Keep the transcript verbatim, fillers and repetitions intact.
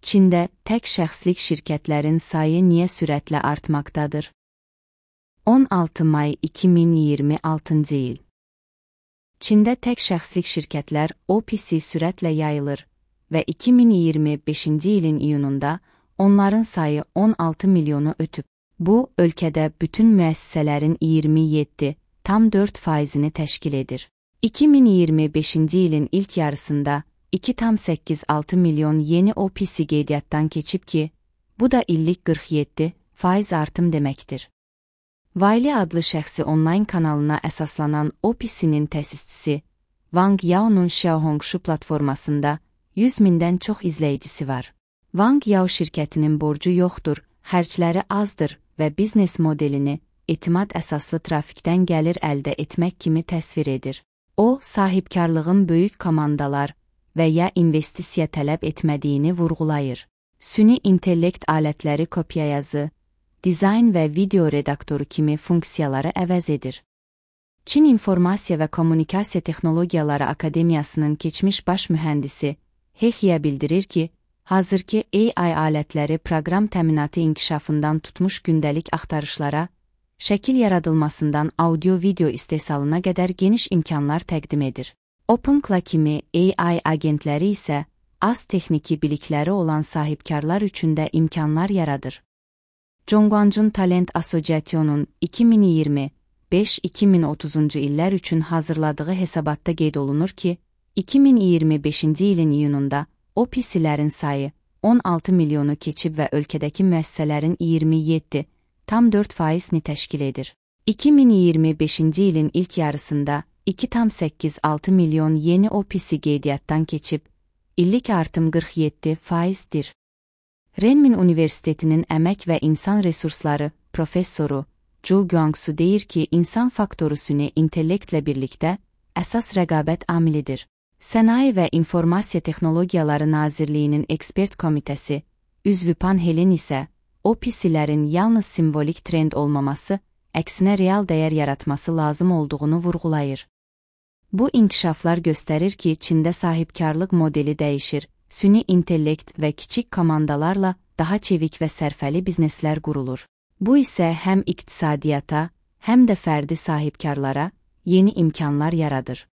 Çində tək şəxslik şirkətlərin sayı niyə sürətlə artmaqdadır? on altı may iki min iyirmi altıncı il. Çində tək şəxslik şirkətlər O P C sürətlə yayılır və iki min iyirmi beşinci ilin iyununda onların sayı on altı milyonu ötüb. Bu, ölkədə bütün müəssisələrin iyirmi yeddi tam dörd faizini təşkil edir. iki min iyirmi beşinci ilin ilk yarısında iki tam səkkiz altı milyon yeni O P C qeydiyyatdan keçib ki, bu da illik qırx yeddi faiz artım deməkdir. Wiley adlı şəxsi onlayn kanalına əsaslanan O P C'nin təsisçisi Wang Yao'nun Xiaohongshu platformasında yüz mindən çox izləyicisi var. Wang Yao şirkətinin borcu yoxdur, xərcləri azdır və biznes modelini etimad əsaslı trafikdən gəlir əldə etmək kimi təsvir edir. O, sahibkarlığın böyük komandalar və ya investisiya tələb etmədiyini vurğulayır. Süni intellekt alətləri kopyayazı, dizayn və video redaktoru kimi funksiyaları əvəz edir. Çin İnformasiya və Kommunikasiya Texnologiyaları Akademiyasının keçmiş baş mühəndisi He Xia bildirir ki, hazırki A I alətləri proqram təminatı inkişafından tutmuş gündəlik axtarışlara, şəkil yaradılmasından audio-video istehsalına qədər geniş imkanlar təqdim edir. OpenClaw kimi A I agentləri isə az texniki bilikləri olan sahibkarlar üçün də imkanlar yaradır. Zhongguancun Talent Association'un iki min iyirmi beş iki min otuzuncu illər üçün hazırladığı hesabatda qeyd olunur ki, iki min iyirmi beşinci ilin iyununda O P C'lərin sayı on altı milyonu keçib və ölkədəki müəssisələrin iyirmi yeddi tam dörd faizini təşkil edir. iki min iyirmi beşinci ilin ilk yarısında iki tam səkkiz altı milyon yeni O P C qeydiyyatdan keçib, illik artım qırx yeddi faizdir. Renmin Universitetinin Əmək və İnsan Resursları professoru Zhou Guangsu deyir ki, insan faktoru süni intellektlə birlikdə əsas rəqabət amilidir. Sənaye və İnformasiya Texnologiyaları Nazirliyinin ekspert komitəsi, üzvü panelin isə O P C'lərin yalnız simvolik trend olmaması, əksinə real dəyər yaratması lazım olduğunu vurğulayır. Bu inkişaflar göstərir ki, Çində sahibkarlıq modeli dəyişir, süni intellekt və kiçik komandalarla daha çevik və sərfəli bizneslər qurulur. Bu isə həm iqtisadiyyata, həm də fərdi sahibkarlara yeni imkanlar yaradır.